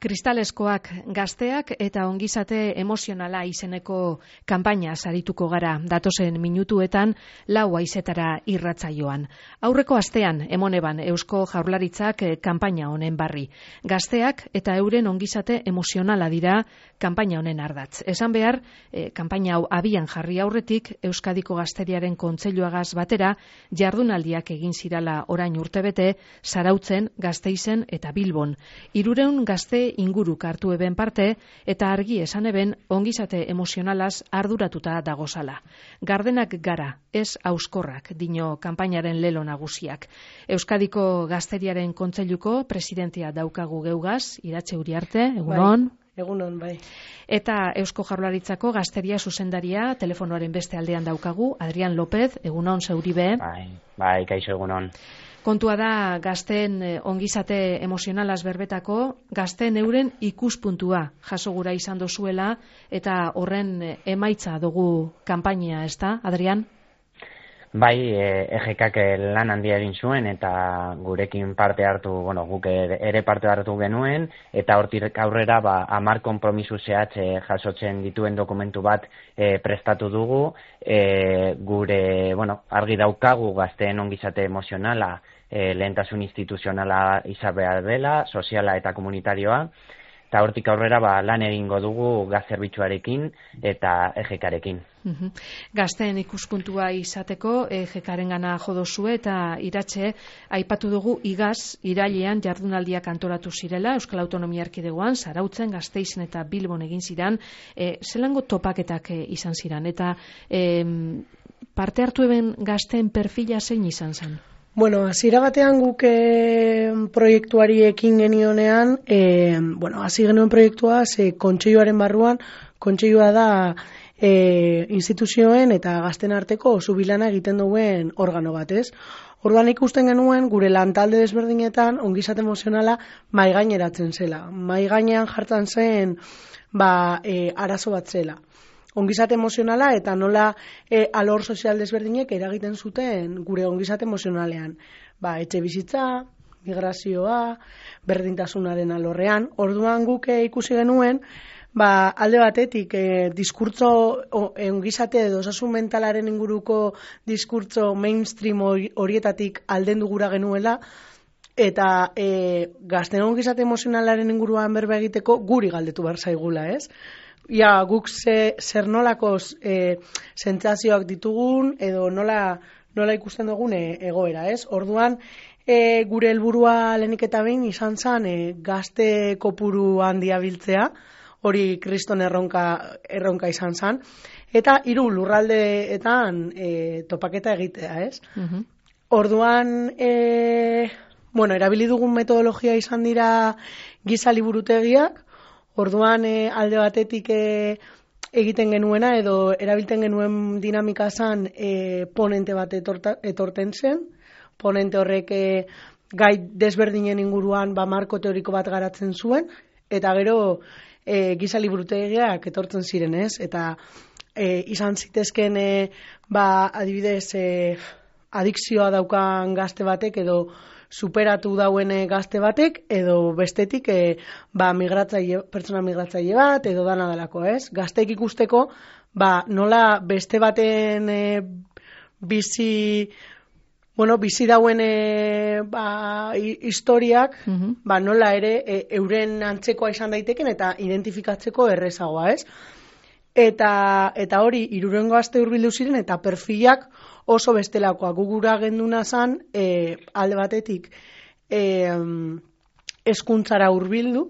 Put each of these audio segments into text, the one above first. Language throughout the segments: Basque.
Kristaleskoak gazteak eta ongizate emozionala izeneko kanpaina sarituko gara datozen minutuetan 4 haizetara irratsaioan. Aurreko astean emoneban Eusko Jaurlaritzak kanpaina honen barri. Gazteak eta euren ongizate emozionala dira kanpaina honen ardatz. Esan behar, kanpaina hau abian jarri aurretik Euskadiko Gazteriaren Kontseiluagaz batera jardunaldiak egin zirala orain urtebete Zarautzen, Gasteizen eta Bilbon. 300 gazte inguruk hartu eben parte eta argi esan eben ongizate emozionalaz arduratuta dagozala. Gardenak gara, ez auskorrak, dino kanpainaren lelo nagusiak. Euskadiko Gazteriaren Kontseiluko presidentea daukagu geugaz, Iratxe Uriarte, egunon. Egunon, bai. Eta Eusko Jaurlaritzako Gazteria zuzendaria telefonoaren beste aldean daukagu, Adrian López, egunon zeuribe. Bai, kaixo egunon. Kontua da gazteen ongizate emozionalaz berbetako, gazteen euren ikuspuntua jaso gura izan dozuela eta horren emaitza dugu kanpainia, ez da, Adrian? Bai, EGKak lan handia egin zuen eta gurekin parte hartu, guk ere parte hartu genuen eta hortik aurrera 10 konpromisu zehatz jasotzen dituen dokumentu bat prestatu dugu. Gure, argi daukagu gazteen ongizate emozionala lehentasun instituzionala izan behar dela, soziala eta komunitarioa, eta hortik aurrera lan egingo dugu gaz zerbitzuarekin eta EGKarekin. Gazteen ikuspuntua izateko EGKarengana jodozue eta Iratxe aipatu dugu igaz irailean jardunaldiak antolatu zirela Euskal Autonomia Erkidegoan, Zarautzen, Gasteizen eta Bilbon egin ziren, zelango topaketak izan ziren eta parte hartu eben gazteen perfila zein izan zen? Hasiera batean guk proiektuari ekin genionean, hasi genuen proiektua, kontseiluaren barruan, kontseilua da instituzioen eta gazten arteko zubilana egiten duen organo bat, ez? Orduan ikusten genuen gure lantalde desberdinetan ongizate emozionala mahaigaineratzen zela. Mahaigainean jartzen zen arazo bat zela. Ongizate emozionala eta nola alor sozial desberdinek eragiten zuten gure ongizate emozionalean. Etxe bizitza, migrazioa, berdintasunaren alorrean. Orduan guk ikusi genuen, alde batetik diskurtso ongizate edo osasun mentalaren inguruko diskurtso mainstream horietatik aldendu gura genuela, eta gazten ongizate emozionalaren inguruan berba egiteko guri galdetu behar zaigula, ez? Guk zer nolako sentsazioak ditugun edo nola ikusten dugun egoera, ez? Orduan, gure helburua lehenik eta behin izan zen gazte kopuru handia biltzea, hori kriston erronka izan zen, eta 3 lurraldeetan topaketa egitea, ez? Orduan, erabili dugun metodologia izan dira giza liburutegiak. Orduan alde batetik egiten genuena edo erabiltzen genuen dinamika zen ponente bat etorten zen. Ponente horrek gai desberdinen inguruan marko teoriko bat garatzen zuen, eta gero giza liburutegiak etortzen ziren, ez? Eta izan zitezken adibidez adikzioa daukan gazte batek edo superatu dauen gazte batek, edo bestetik pertsona migratzaile bat, edo dana delako, ez? Gazteek ikusteko, nola beste baten bizi dauen historiak, nola ere euren antzekoa izan daiteken eta identifikatzeko errezagoa, ez? Eta hori, 300 gazte hurbildu ziren eta perfilak oso bestelakoa. Gugura genduna zan, alde batetik, hezkuntzara hurbildu,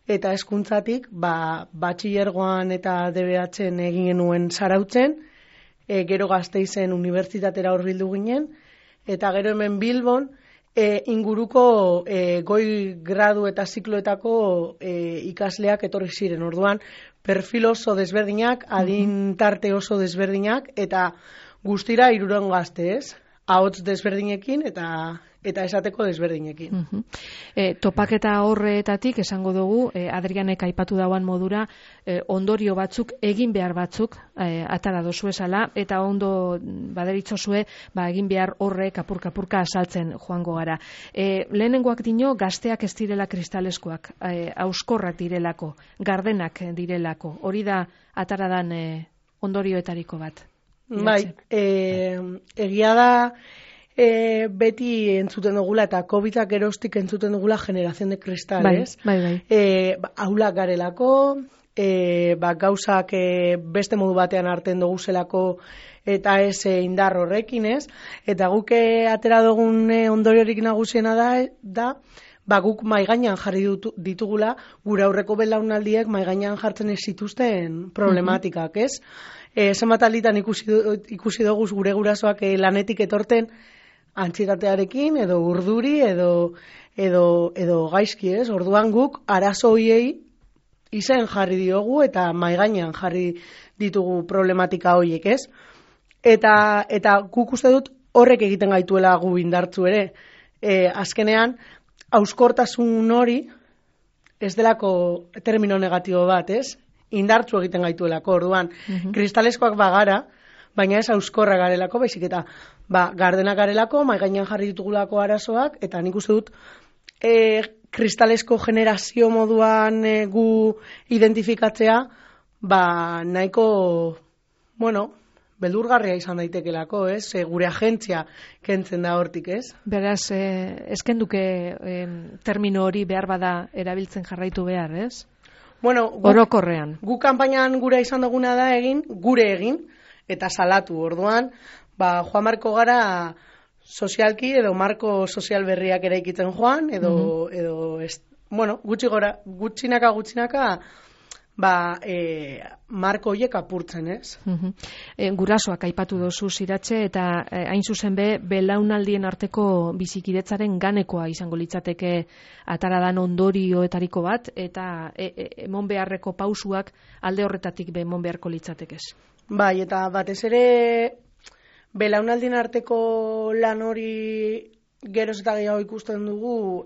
eta hezkuntzatik, batxilergoan eta DBH-en egin genuen Zarautzen, gero Gasteizen unibertsitatera hurbildu ginen, eta gero hemen Bilbon, inguruko goi gradu eta zikloetako ikasleak etorri ziren. Orduan, perfil oso desberdinak, adin tarte oso desberdinak, eta guztira 300 gazte, ez? Ahots desberdinekin eta eta esateko desberdinekin. Topaketa horretatik esango dugu, Adrianek aipatu dauan modura, ondorio batzuk, egin behar batzuk atara dozu esala, eta ondo baderitzozue, egin behar horrek apurka asaltzen joango gara. Lehenengoak dino, gazteak ez direla kristaleskoak, auskorrak direlako, gardenak direlako, hori da ataradan ondorioetariko bat. Bai, egia da, beti entzuten dugula, eta COVID-ak geroztik entzuten dugula generación de cristales. Bai. Aulak garelako, gauzak beste modu batean hartzen dugu zelako, eta ez indar horrekin, ez? Eta guk atera dugun ondoriorik nagusiena da guk maigainan jarri ditugula, gure aurreko belaunaldiek maigainan jartzen ez zituzten problematikak, ez? Zenbat alditan ikusi dugu gure gurasoak lanetik etorten antsietatearekin, edo urduri, edo gaizki, ez? Orduan guk arazo hoiei izen jarri diogu eta maigainan jarri ditugu problematika horiek, ez? Eta guk uste dut horrek egiten gaituela gu indartzu ere. Azkenean, hauskortasun hori ez delako termino negatibo bat, ez? Indartzu egiten gaituelako, orduan. Kristaleskoak bagara, baina ez hauskorra garelako, baizik eta gardenak garelako, maigainan jarri ditugulako arazoak, eta nik uste dut kristalesko generazio moduan gu identifikatzea, nahiko, beldurgarria izan daitekelako, ez? Gure agentzia kentzen da hortik, ez? Beraz, ezkenduke termino hori behar bada erabiltzen jarraitu behar, ez? Orokorrean. Gu kanpainan gure izan duguna da gure egin, eta salatu, orduan, joan marko gara sozialki edo marko sozial berriak eraikitzen joan, edo gutxinaka, marko horiek apurtzen, ez? Gurasoak aipatu dozu ziratxe, eta hain zuzen belaunaldien arteko bizikidetzaren ganekoa izango litzateke ataradan ondorioetariko bat, eta emon beharreko pausuak alde horretatik emon beharko litzatekez. Bai, eta batez ere belaunaldien arteko lan hori geroz eta gehiago ikusten dugu,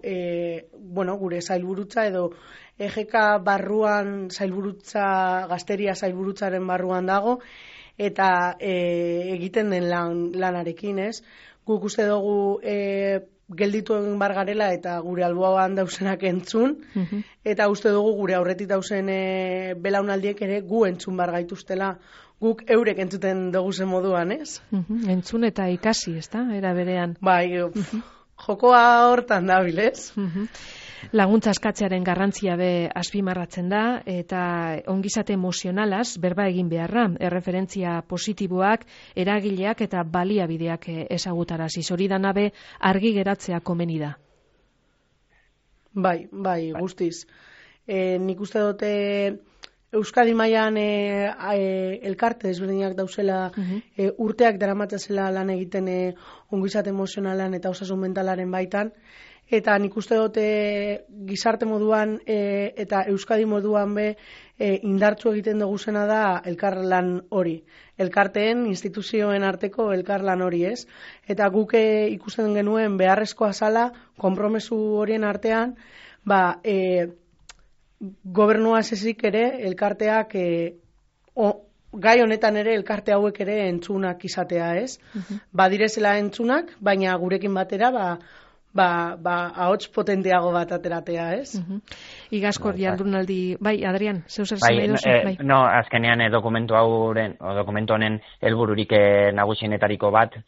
gure zailburutza edo EGK barruan zailburutza, gazteria zailburutzaren barruan dago, eta egiten den lanarekin, ez? Guk uste dugu gelditu egin bar garela eta gure alboan dausenak entzun, eta uste dugu gure aurretik dausen belaunaldiek ere gu entzun bar gaituztela, guk eurek entzuten dugu zen moduan, ez? Entzun eta ikasi, ez da? Era berean. Bai, jokoa hortan dabil, ez? Laguntza eskatzearen garrantzia azpimarratzen da, eta ongizate emozionalaz berba egin beharra, erreferentzia positiboak, eragileak eta baliabideak ezagutaraziz. Hori da nabe argi geratzea komeni da. Bai, guztiz. Nik uste dute Euskadi mailan elkarte desberdinak dauzela, urteak daramatzazela lan egiten ongizate emozionalan eta osasun mentalaren baitan, eta nik uste dute gizarte moduan eta Euskadi moduan indartzu egiten dugu zena da elkarlan hori. Elkarteen, instituzioen arteko elkarlan hori, ez? Eta guk ikusten genuen beharrezkoa zala, konpromesu horien artean, gobernua ezik ere, elkarteak, gai honetan ere, elkarte hauek ere entzunak izatea, ez? Badirezela entzunak, baina gurekin batera, ahots potenteago bat ateratea, ez? Igazkor jardunaldi, Adrian, zeu zer zen nahi duzu? Azkenean dokumentu honen helbururik nagusienetariko bat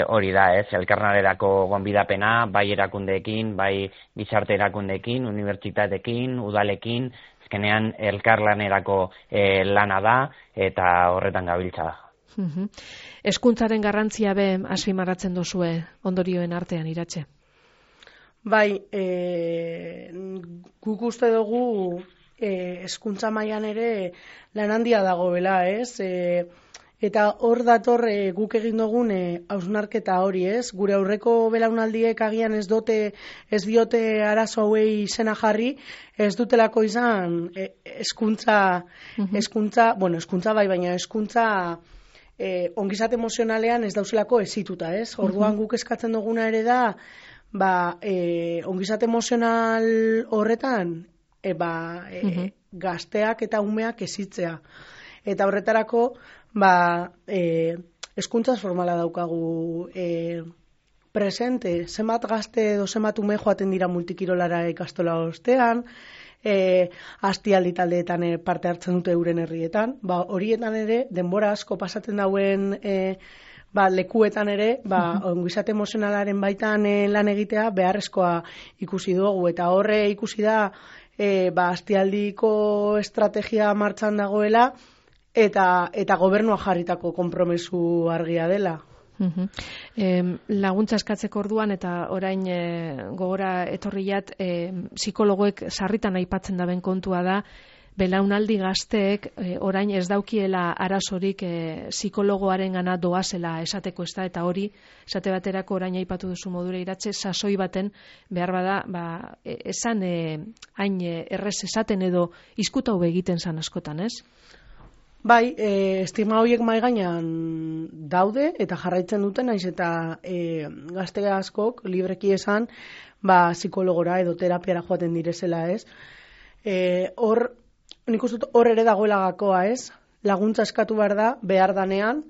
hori da, ez? Elkarlanerako gonbidapena, bai erakundeekin, bai gizarte erakundeekin, unibertsitateekin, udalekin, azkenean elkarlanerako lana da eta horretan gabiltza da. Hezkuntzaren garrantzia azpimarratzen duzue ondorioen artean, Iratxe? Bai, guk uste dugu hezkuntza mailan ere lan handia dagoela, ez? Eta hor dator guk egin dugun hausnarketa hori, ez? Gure aurreko belaunaldiek agian ez diote arazo hauei izena jarri, ez dutelako izan hezkuntza bai, baina hezkuntza ongizate emozionalean ez dauzelako ezituta, ez? Orduan guk eskatzen duguna ere da, ongizate emozional horretan, gazteak eta umeak ezitzea. Eta horretarako, hezkuntza formala daukagu presente, zenbat gazte edo zenbat ume joaten dira multikirolara ikastola ostean, astialdi taldeetan parte hartzen dute euren herrietan, horietan ere, denbora asko pasatzen dauen lekuetan ere, ongizate emozionalaren baitan lan egitea beharrezkoa ikusi dugu, eta horre ikusi da, astialdiko estrategia martxan dagoela, eta gobernua jarritako konpromesu argia dela. Laguntza eskatzeko orduan eta orain gogora etorriat psikologoek sarritan aipatzen daben kontua da belaunaldi gazteek orain ez daukiela arazorik psikologoarengana doazela esateko ez da, eta hori esate baterako orain aipatu duzu modura Iratxe, sasoi baten behar bada esan hain errez esaten edo izkuta hobe egiten zan askotan, ez? Bai, estigma horiek mahai gainean daude eta jarraitzen duten, naiz eta gazte askok libreki esan psikologora edo terapiara joaten direzela, ez? Nik uste dut hor ere dagoela gakoa, ez? Laguntza eskatu behar da, behar danean,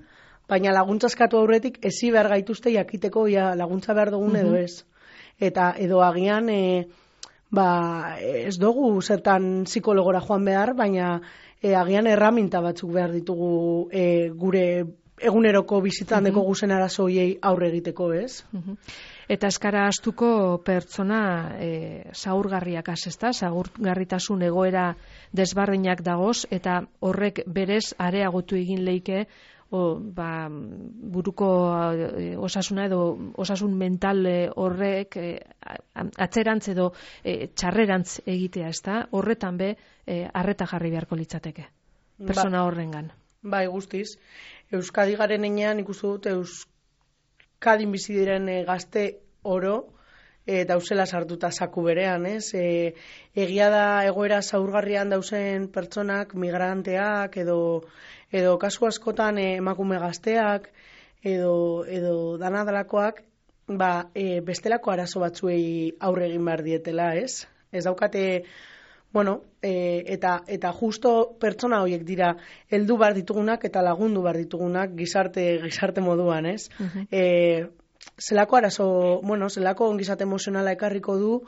baina laguntza eskatu aurretik ezi behar gaituzte jakiteko laguntza behar dugun edo ez. Eta edo agian ez dugu zertan psikologora joan behar, baina agian erraminta batzuk behar ditugu gure eguneroko bizitzan deko guzen arazo hoiei aurre egiteko, ez? Eta eskara astuko pertsona zaurgarriak ezta, zaurgarritasun egoera desbarreinak dagoz, eta horrek berez areagotu egin leike buruko osasuna edo osasun mental horrek atzerantz edo txarrerantz egitea, ezta? Horretan be arreta jarri beharko litzateke persona horrengan. Bai, guztiz. Euskadi garen enean ikustu dut Euskadin bizi diren gazte oro dauzela sartuta zaku berean, ez? Egia da egoera zaurgarrian dauzen pertsonak, migranteak edo kasu askotan emakume gazteak edo danadalakoak bestelako arazo batzuei aurre egin behar dietela, ez? Ez daukate, eta justo pertsona horiek dira heldu behar ditugunak eta lagundu behar ditugunak gizarte moduan, ez? Zelako arazo, zelako ongizate emozionala ekarriko du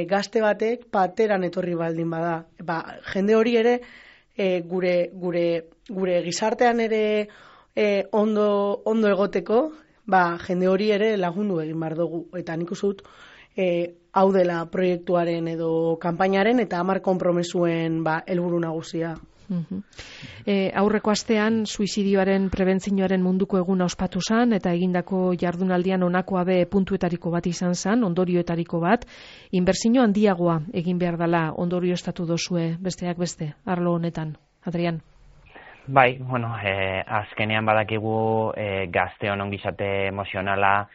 gazte batek pateran etorri baldin bada. Jende hori ere gure gizartean ere ondo egoteko, jende hori ere lagundu egin behar dugu. Eta nik uste dut hau dela proiektuaren edo kanpainaren eta 10 konpromesuen helburu nagusia. Aurreko astean suizidioaren prebentzioaren munduko eguna ospatu zen eta egindako jardunaldian honako abe puntuetariko bat izan zen, ondorioetariko bat, inbertsio handiagoa egin behar dela ondorioztatu dozue besteak beste, arlo honetan. Adrian? Bai, azkenean badakigu gazteon ongizate emozionala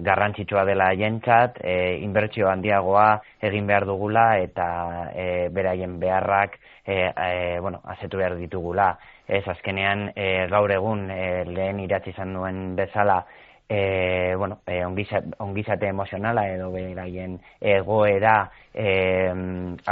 garrantzitsua dela jentzat, inbertsio handiagoa egin behar dugula eta beraien beharrak asetu behar ditugula. Ez azkenean gaur egun lehen idatzi izan duen bezala ongizate emozionala edo beraien egoera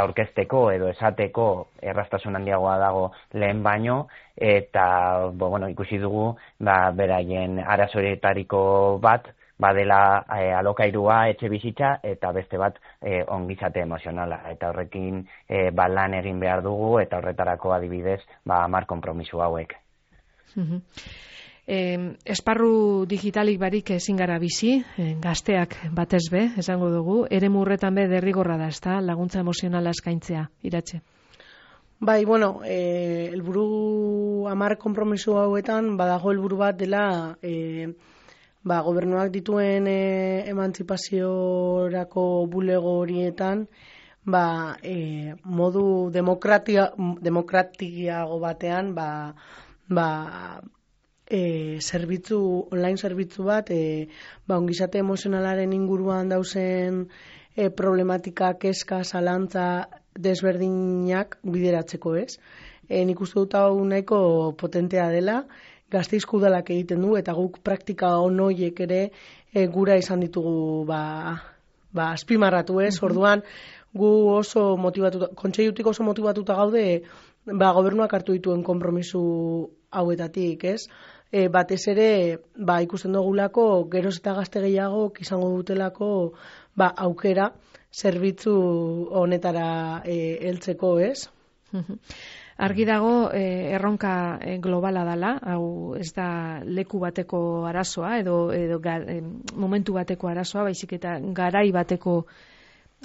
aurkezteko edo esateko erraztasun handiagoa dago lehen baino, eta ikusi dugu beraien arazoetariko bat badela alokairua, etxe bizitza, eta beste bat ongizate emozionala. Eta horrekin lan egin behar dugu, eta horretarako adibidez 10 konpromiso hauek. Esparru digitalik barik ezin gara bizi, gazteak batez be, esango dugu, eremu horretan be derrigorra da, ezta, laguntza emozionala eskaintzea, Iratxe? Bai, helburu 10 konpromiso hauetan badago helburu bat dela gobernuak dituen emantzipaziorako bulego horietan modu demokratiago batean online zerbitzu bat ongizate emozionalaren inguruan dauzen problematika, kezka, zalantza desberdinak bideratzeko, ez? Nik uste dut hau nahiko potentea dela. Gasteizko udalak egiten du, eta guk praktika onoiek ere gura izan ditugu azpimarratu ez, orduan gu oso motivatuta, kontseilutik oso motivatuta gaude, gobernuak hartu dituen konpromisu hauetatik, ez? Batez ere, ikusten dugulako, geroz eta gazte gehiago izango dutelako aukera zerbitzu honetara heltzeko, ez? Argi dago erronka globala dela, hau ez da leku bateko arazoa edo momentu bateko arazoa, baizik eta garai bateko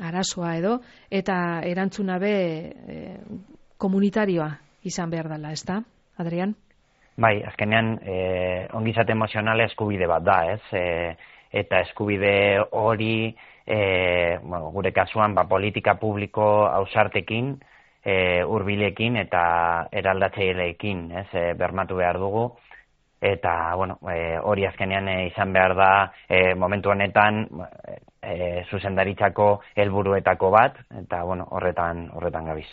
arazoa edo, eta erantzuna be komunitarioa izan behar dela, ez da, Adrian? Bai, azkenean ongizate emozionala eskubide bat da, ez? Eta eskubide hori, gure kasuan, politika publiko ausartekin, hurbilekin eta eraldatzaileekin, ez, bermatu behar dugu. Eta, hori azkenean izan behar da momentu honetan zuzendaritzako helburuetako bat, eta, horretan gabiz.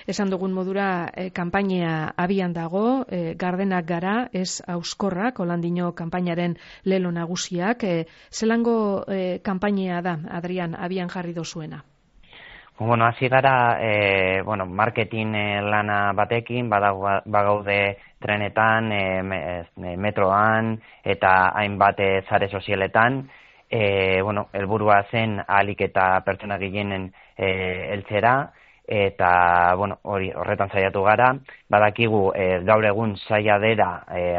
Esan dugun modura, kanpainea abian dago, gardenak gara, ez auskorrak, Holandino kanpainaren lelo nagusiak. Zelango kanpainea da, Adrian, abian jarri dozuena? Hasi gara, marketing lana batekin, bagaude trenetan, metroan, eta hainbat sare sozialetan, helburua zen ahalik eta pertsona gehienen heltzera, eta, horretan saiatu gara, badakigu gaur egun zaila dela,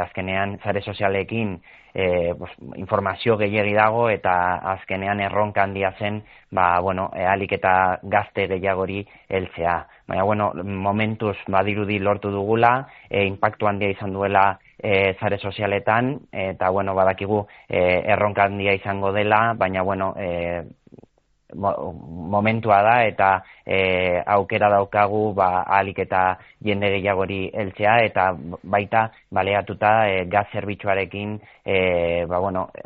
azkenean sare sozialekin, informazio gehiegi dago eta azkenean erronka handia zen ahalik eta gazte gehiagori heltzea. Baina, momentuz badirudi lortu dugula, inpaktu handia izan duela sare sozialetan, eta, badakigu erronka handia izango dela, baina, momentua da eta aukera daukagu ahalik eta jende gehiagori heltzea, eta baita baleatuta gaz zerbitzuarekin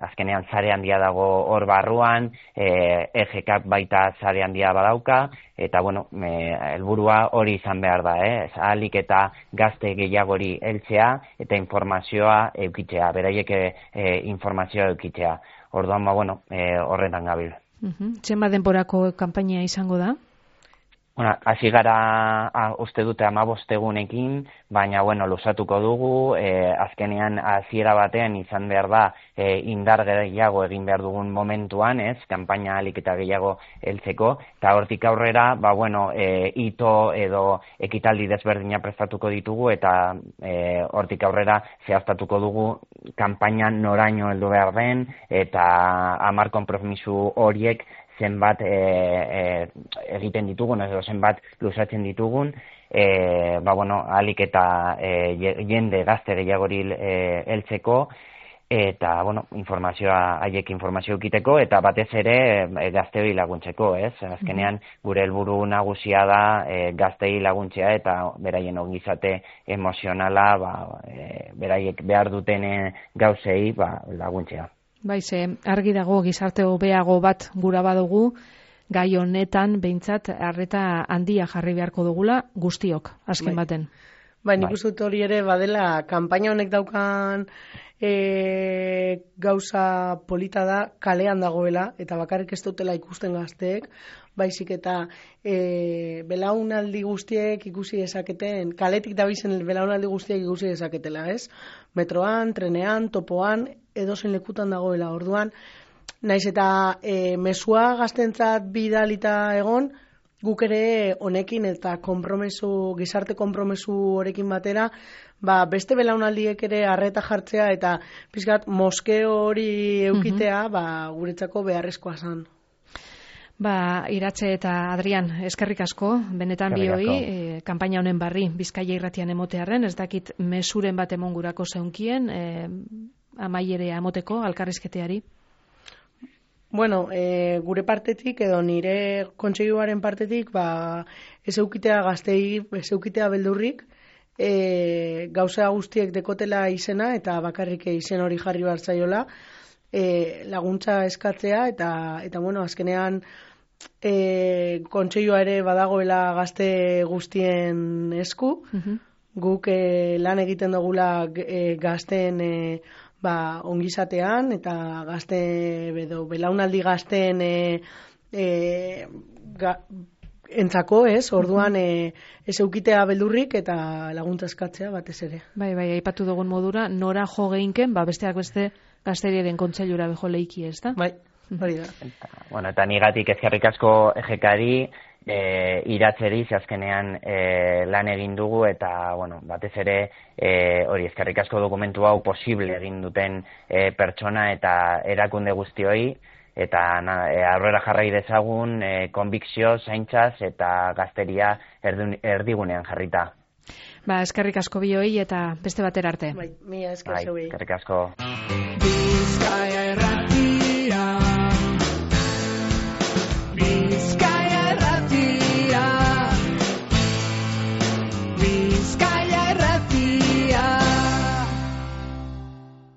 azkenean sare handia dago hor barruan, EGK baita sare handia badauka, eta helburua hori izan behar da, ahalik eta gazte gehiagori heltzea eta informazioa eukitzea, beraiek informazioa eukitzea. Orduan horretan gabil. Zenbat denborako kanpaina izango da? Hasi gara uste dute 15 egunekin, baina luzatuko dugu, azkenean hasiera batean izan behar da indar gehiago egin behar dugun momentuan, ez, kanpaina ahalik eta gehiago heltzeko, eta hortik aurrera, hito edo ekitaldi desberdina prestatuko ditugu, eta hortik aurrera zehaztatuko dugu kanpaina noraino heldu behar den, eta 10 konpromisu horiek zenbat egiten ditugun, edo zenbat luzatzen ditugun, ahalik eta jende gazte gehiagori heltzeko, eta, haiek informazio ukiteko, eta batez ere gazteoi laguntzeko, ez? Azkenean, gure helburu nagusia da gaztei laguntzea, eta beraien ongizate emozionala, beraiek behar duten gauzei laguntzea. Argi dago gizarte hobeago bat gura badugu, gai honetan behintzat arreta handia jarri beharko dugula guztiok, azken baten. Nik uste dut hori ere badela, kanpaina honek daukan gauza polita da kalean dagoela, eta bakarrik ez dutela ikusten gazteek, baizik eta belaunaldi guztiek ikusi dezaketen, kaletik dabizen belaunaldi guztiek ikusi dezaketela, ez? Metroan, trenean, topoan, edozen lekutan dagoela. Orduan, naiz eta mezua gaztentzat bidalita egon, guk ere honekin eta gizarte konpromesu horekin batera, beste belaunaldiek ere arreta jartzea eta pizkat moskeo hori eukitea, guretzako beharrezkoa zen. Iratxe eta Adrian, eskerrik asko, benetan bioi, kanpaina honen barri, Bizkaia irratian emotearren, ez dakit mesuren bat emon gurako zeunkien, amaiere amoteko, alkarrizketeari? Gure partetik, edo nire kontseiluaren partetik, ez eukitea gaztei, ez eukitea beldurrik, gauza guztiek dekotela izena, eta bakarrik izen hori jarri behar zaiola, laguntza eskatzea, eta azkenean kontseilua ere badagoela gazte guztien esku, guk lan egiten dugula gazten ongizatean eta gazte belaunaldi gazten entzako, orduan ez eukitea beldurrik eta laguntza eskatzea batez ere. Bai, aipatu dugun modura, nora jo geinken, besteak beste gazteriaren kontseilura bejo leiki, ez da? Bai, hori da. Eta nigatik ezkerrik asko EGK-ari, iratzeri azkenean lan egin dugu eta batez ere hori ezkerrik asko dokumentu hau posible egin duten pertsona eta erakunde guztioi eta aurrera jarrai dezagun konbikzio, zaintzaz eta gazteria erdigunean jarrita. Eskerrik asko bioi eta beste batera arte. Bai, mila esker zeuei. Eskerrik asko.